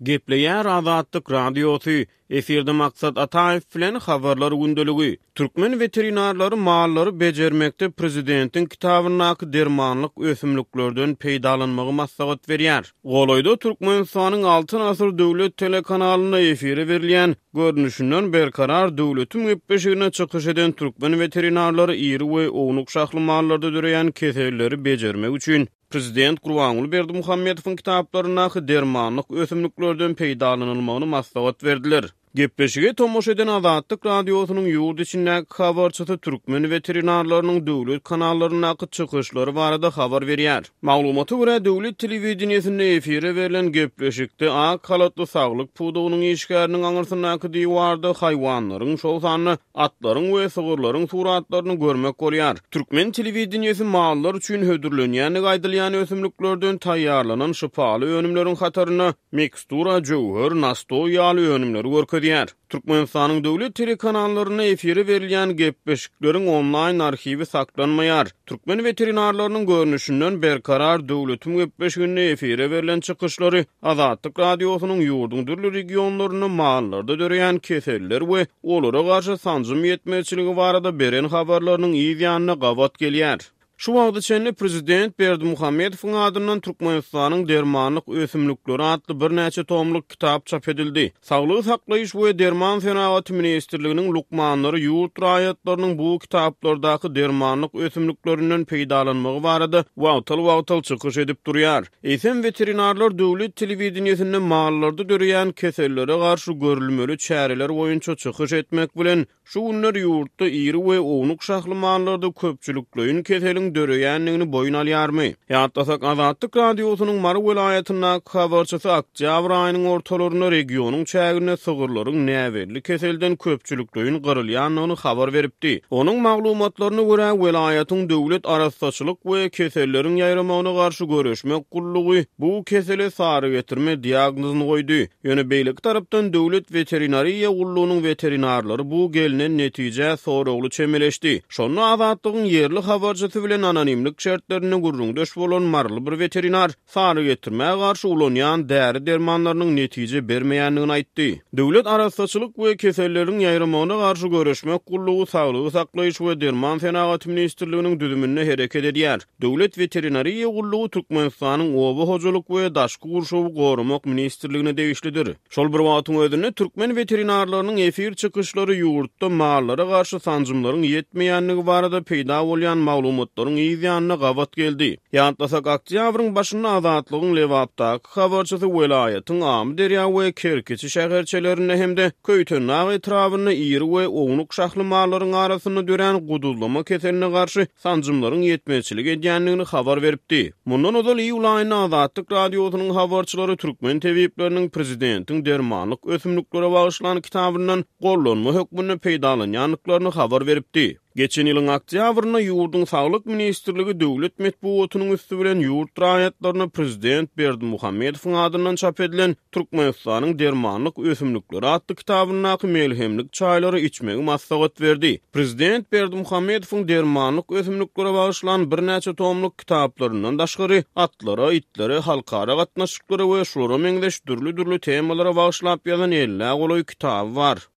Gepleýär Azatlyk Radiosy, Efirde Maksat Ataýew bilen Habarlar gündeligi. Türkmen weterinarlary mallary bejermekde prezidentiň kitabyndaky dermanlyk ösümliklerden peýdalanmagy maslahat berýär. Golaýda Türkmenistanyň Altyn asyr döwlet telekanalynda efire berilýän Görnüşinden Berkarar döwletiň gepleşiginde çykyş eden türkmen weterinarlary iri we ownuk şahly mallarda döreýän keselleri bejermek üçin Prezident Gurbanguly Berdimuhamedowyň kitaplaryndaky dermanlyk ösümliklerden peýdalanylmagyny maslahat berdiler. Gepleşige tomaşa eden Azatlyk Radiosynyň ýurt içindäki habarçysy türkmen weterinarlarynyň döwlet kanallaryndaky çykyşlary barada habar berýär. Maglumata görä, döwlet telewideniýesinde efire berlen gepleşikde ak halatly saglyk pudagynyň işgäriniň aňyrsyndaky diwarda haýwanlaryň, şol sanda atlaryň we sygyrlaryň suratlaryny görmek bolýar. Türkmen telewideniýesi mallar üçin hödürlenýändigi aýdylýan ösümliklerden taýýarlanan şypaly önümleriň hatarynda mikstura, jöwher, nastoý ýaly önümleri görkezýär. Türkmenistanyň döwlet telekanallarynda efire berilýän gepleşikleriň onlaýn arhiwi saklanmaýar. Türkmen weterinarlarynyň görnüşinden Berkarar döwletiň gepleşiginde efire berlen çykyşlary Azatlyk Radiosynyň ýurduň dürli regionlarynda mallarda döreýän keseller we olara garşy sanjym ýetmezçiligi barada beren habarlarynyň yz ýanyna gabat gelýär. Şu wagta çenli prezident Berdimuhamedowyň adyndan Türkmenistanyň dermanlyk ösümlikleri atly birnäçe tomluk kitap çap edildi. Saglygy saklaýyş we derman senagaty ministrliginiň lukmanlary ýurt raýatlarynyň bu kitaplardaky dermanlyk ösümliklerinden peýdalanmagy barada wagtal-wagtal çykyş edip durýar. Eýsem, weterinarlar döwlet telewideniýesinde mallarda döreýän kesellere garşy görülmeli çäreler boýunça çykyş etmek bilen, Şu günler ýurtda iri we ownuk şahly mallarda köpçülikleýin keseliň döreýändigini boýun alýarmy? Ýatlasak, Azatlyk Radiosynyň Mary welaýatyndaky habarçysy oktýabr aýynyň ortalarynda regionyň çäginde sygyrlaryň näbelli keselden köpçülikleýin gyrylýandygyny habar beripdi. Onuň maglumatlaryna görä, welaýatyň döwlet arassaçylyk we keselleriň ýaýramagyna garşy göreşmek gullugy bu kesele sarygetirme diagnozyny goýdy. Ýöne beýleki tarapdan Döwlet weterinariýa gullugynyň weterinarlary bu gelnen netijä soragly çemeleşdi. Şonda Azatlygyň ýerli habarçysy bilen anonimlik şertlerinde gürrüňdeş bolan maryly bir weterinar sarygetirmä garşy ulanýan däri-dermanlarynyň netije bermeýändigini aýtdy. Döwlet arassaçylyk we keselleriň ýaýramagyna garşy göreşmek gullugy Saglygy saklaýyş we derman senagaty ministrliginiň düzüminde hereket edýär. Döwlet weterinariýa gullugy Türkmenistanyň Oba hojalyk we daşky gurşawy goramak ministrligine degişlidir. Şol bir wagtyň özünde, türkmen weterinarlarynyň efir çykyşlary ýurtda mallara garşy sanjymlaryň ýetmeýändigi barada peýda bolýan maglumatlaryň yz ýanyna gabat geldi. Ýatlasak, oktýabryň başynda Azatlygyň Lebapdaky habarçysy welaýatyň Amyderýa we Kerkiçi şäherçelerinde hem-de Köýtendag etrabynda iri we ownuk şahly mallaryň arasynda dörän guduzlama keseline garşy sanjymlaryň ýetmezçilik edýändigini habar beripdi. Mundan ozal iýul aýynda Azatlyk Radiosynyň habarçylary türkmen tebipleriniň prezidentiň dermanlyk ösümliklere bagyşlan kitabyndan gollanma hökmünde peýdalanýandyklaryny habar beripdi. Geçen ýylyň oktýabrynda ýurduň Saglyk ministrligi döwlet metbugatynyň üsti bilen ýurt raýatlaryna prezident Berdimuhamedowyň adyndan çap edilen Türkmenistanyň dermanlyk ösümlikleri atly kitabyndaky melhemlik çaýlary içmegi maslahat berdi. Prezident Berdimuhamedowyň dermanlyk ösümliklere bagyşlan birnäçe tomluk kitaplaryndan daşgary, atlara, itlere, halkara gatnaşyklara we şulara meňzeş dürli-dürli temalara bagyşlap ýazan ellä golaý kitaby bar.